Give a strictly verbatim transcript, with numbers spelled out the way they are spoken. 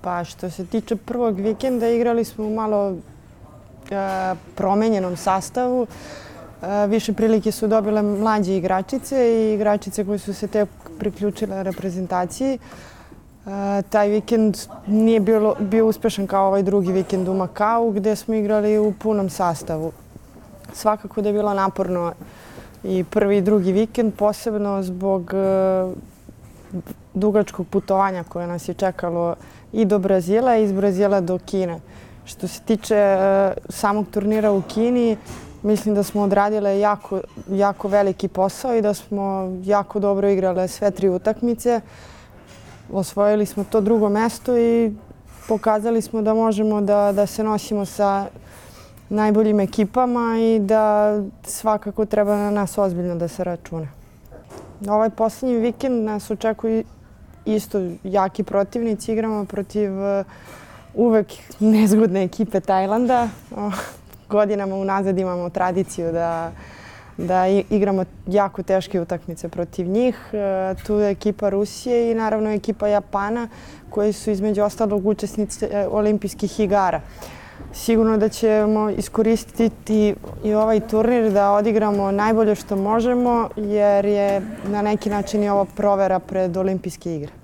Pa što se tiče prvog vikenda, igrali smo u malo e, promenjenom sastavu. E, više prilike su dobile mlađe igračice i igračice koje su se tek priključile reprezentaciji. E, taj vikend nije bilo, bio uspešan kao ovaj drugi vikend u Makau, gde smo igrali u punom sastavu. Svakako da je bilo naporno i prvi i drugi vikend, posebno zbog e, dugačkog putovanja koje nas je čekalo i do Brazila i iz Brazila do Kine. Što se tiče e, samog turnira u Kini, mislim da smo odradile jako, jako veliki posao i da smo jako dobro igrale sve tri utakmice. Osvojili smo to drugo mesto i pokazali smo da možemo da, da se nosimo sa najboljim ekipama i da svakako treba na nas ozbiljno da se računa. Ovaj posljednji vikend nas očekuju isto jaki protivnici. Igramo protiv uvek nezgodne ekipe Tajlanda. Godinama unazad imamo tradiciju da, da igramo jako teške utakmice protiv njih. Tu je ekipa Rusije i naravno ekipa Japana koji su između ostalog učesnici olimpijskih igara. Sigurno da ćemo iskoristiti i ovaj turnir da odigramo najbolje što možemo, jer je na neki način i ovo provera pred olimpijske igre.